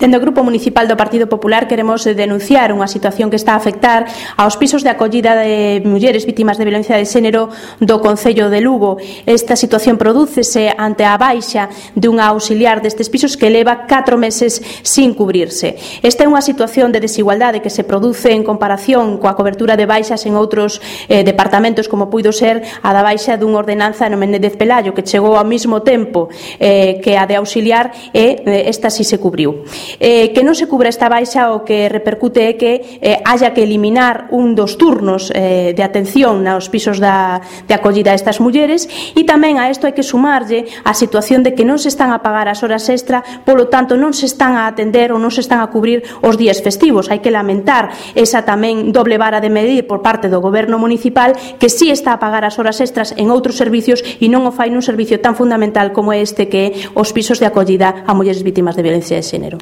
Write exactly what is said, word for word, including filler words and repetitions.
Dende o Grupo Municipal do Partido Popular queremos denunciar unha situación que está a afectar aos pisos de acollida de mulleres vítimas de violencia de xénero do Concello de Lugo. Esta situación prodúcese ante a baixa dunha auxiliar destes pisos que leva catro meses sin cubrirse. Esta é unha situación de desigualdade que se produce en comparación coa cobertura de baixas en outros eh, departamentos, como puido ser a da baixa dunha ordenanza no Menéndez Pelayo, que chegou ao mesmo tempo eh, que a de auxiliar e eh, esta si se cubriu. Eh, que non se cubra esta baixa o que repercute é que eh, haya que eliminar un dos turnos eh, de atención nos pisos da, de acollida a estas mulleres, e tamén a isto hai que sumarlle a situación de que non se están a pagar as horas extra, polo tanto non se están a atender ou non se están a cubrir os días festivos. Hai que lamentar esa tamén doble vara de medir por parte do Goberno municipal, que si está a pagar as horas extras en outros servicios e non o fai nun servicio tan fundamental como este que é os pisos de acollida a mulleres vítimas de violencia de xénero.